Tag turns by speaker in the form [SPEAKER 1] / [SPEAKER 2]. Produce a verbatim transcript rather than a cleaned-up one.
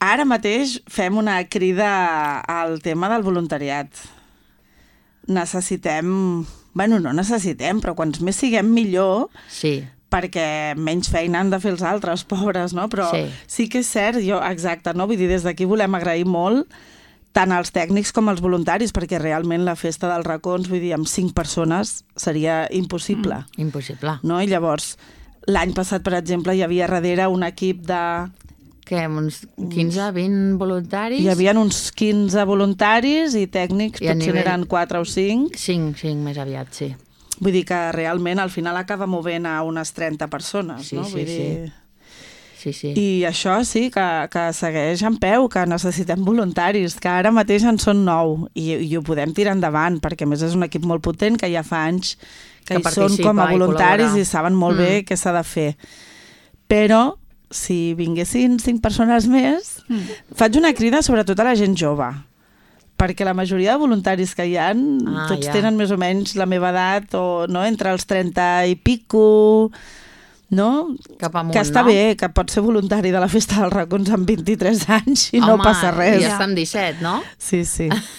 [SPEAKER 1] Ara mateix fem una crida al tema del voluntariat. Necessitem... Bueno, no necessitem, però quants més siguem millor,
[SPEAKER 2] Sí.
[SPEAKER 1] perquè menys feina han de fer els altres, pobres, no? Però
[SPEAKER 2] Sí.
[SPEAKER 1] sí que és cert, jo, exacte, no? Vull dir, des d'aquí volem agrair molt tant als tècnics com als voluntaris, perquè realment la festa dels racons, vull dir, amb cinc persones seria impossible.
[SPEAKER 2] Mm, impossible.
[SPEAKER 1] No? I llavors, l'any passat, per exemple, hi havia darrere un equip de...
[SPEAKER 2] Què, uns quinze, vint voluntaris?
[SPEAKER 1] Hi havia uns quinze voluntaris i tècnics,
[SPEAKER 2] I a
[SPEAKER 1] potser
[SPEAKER 2] nivell-
[SPEAKER 1] n'eren quatre o cinc.
[SPEAKER 2] Cinc, cinc més aviat, sí.
[SPEAKER 1] Vull dir que realment al final acaba movent a unes trenta persones,
[SPEAKER 2] Sí,
[SPEAKER 1] no?
[SPEAKER 2] sí,
[SPEAKER 1] Vull dir...
[SPEAKER 2] Sí, sí.
[SPEAKER 1] I això sí, que, que segueix en peu, que necessitem voluntaris, que ara mateix en són nou i, i ho podem tirar endavant, perquè a més és un equip molt potent que ja fa anys que,
[SPEAKER 2] Que
[SPEAKER 1] hi són
[SPEAKER 2] participa
[SPEAKER 1] com a
[SPEAKER 2] i
[SPEAKER 1] voluntaris
[SPEAKER 2] col·labora.
[SPEAKER 1] i saben molt bé
[SPEAKER 2] Mm.
[SPEAKER 1] què s'ha de fer. Però si vinguessin cinc persones més,
[SPEAKER 2] Mm.
[SPEAKER 1] faig una crida sobretot a la gent jove, perquè la majoria de voluntaris que hi ha,
[SPEAKER 2] Ah,
[SPEAKER 1] tots
[SPEAKER 2] ja.
[SPEAKER 1] tenen més o menys la meva edat, o no, entre els trenta i pico, no?
[SPEAKER 2] Cap amunt,
[SPEAKER 1] Que està
[SPEAKER 2] no?
[SPEAKER 1] bé, que pot ser voluntari de la Festa dels racons amb vint-i-tres anys i no
[SPEAKER 2] Home,
[SPEAKER 1] passa res.
[SPEAKER 2] ja està amb disset, no?
[SPEAKER 1] Sí, sí.